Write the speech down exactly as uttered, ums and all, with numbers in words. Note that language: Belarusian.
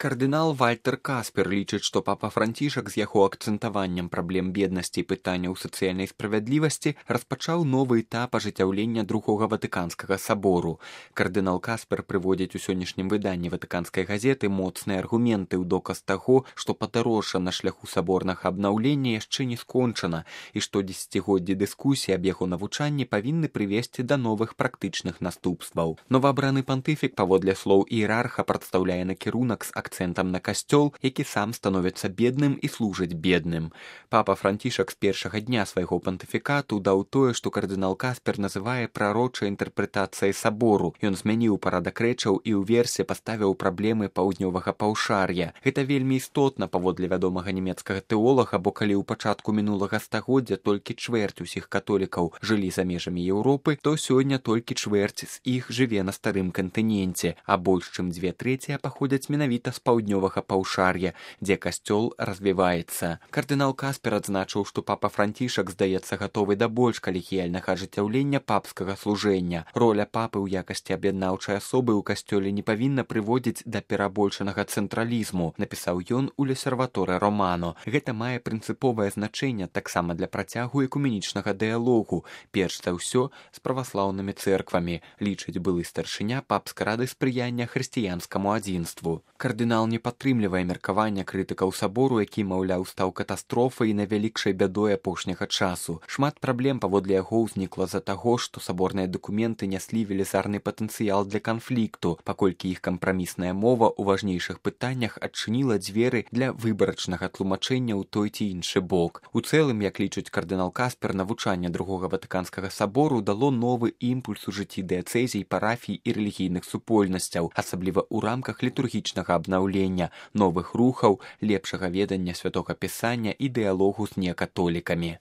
Кардынал Вальтер Каспер лічыць, што папа Францішак з яго акцэнтаваннем праблем беднасці і пытанняў сацыяльнай справядлівасці распачаў новы этап ажыццяўлення другога ватыканскага сабору. Кардынал Каспер прыводзіць у сённяшнім выданні ватыканскай газеты моцныя аргументы ў доказ таго, што падарожжа на шляху саборнага абнаўлення яшчэ не скончана і што дзесяцігоддзі дыскусіі аб яго навучанні павінны прывесці да новых практычных наступстваў. Новаабраны пантыфік, паводле слоў іерарха, прадстаўляе накірунак з акцэнтам на касцёл, які сам становіцца бедным і служыць бедным. Папа Францішак з першага дня свайго пантыфікату даў тое, што кардынал Каспер называе прарочай інтэрпрэтацыяй сабору. Ён змяніў парадак рэчаў і ўверсе паставіў праблемы паўднёвага паўшар'я. Гэта вельмі істотна, паводле вядомага нямецкага тэолага, бо калі ў пачатку мінулага стагоддзя толькі чвэрць усіх католікаў жылі за межамі Еўропы, то сёння толькі чвэрць з іх жыве на старым кантыненце, а больш чым дзве трэція паходзяць менавіта з паўднёвага паўшар'я, дзе касцёл развіваецца. Кардынал Каспер адзначыў, што папа Францішак здаецца гатовы да больш калегіяльнага ажыццяўлення папскага служэння. Роля папы ў якасці аб'яднаўчай асобы ў касцёле не павінна прыводзіць да перабольшанага цэнтралізму, напісаў ён у Лесерваторе Романо. Гэта мае прынцыповае значэнне таксама для працягу экуменічнага дыялогу, перш за ўсё з праваслаўнымі цэрквамі, лічыць былы старшыня папскай рады спрыяння хрысціянскаму адзінству. Кардынал не падтрымлівае меркавання крытыкаў сабору, які, маўляў, стаў катастрофай і найвялікшай бядой апошняга часу. Шмат праблем, паводле яго, ўзнікла з-за таго, што саборныя дакументы няслі велізарны патэнцыял для канфлікту, паколькі іх кампрамісная мова ў важнейшых пытаннях адчыніла дзверы для выбарачнага тлумачэння ў той ці іншы бок. У цэлым, як лічыць кардынал Каспер, навучанне другога ватыканскага сабору дало новы імпульс у жыцці дыяцэзій, парафій і рэлігійных супольнасцяў, асабліва ў рамках літургічнага абнаўлення, новых рухаў, лепшага ведання святога пісання і дыялогу з некатолікамі.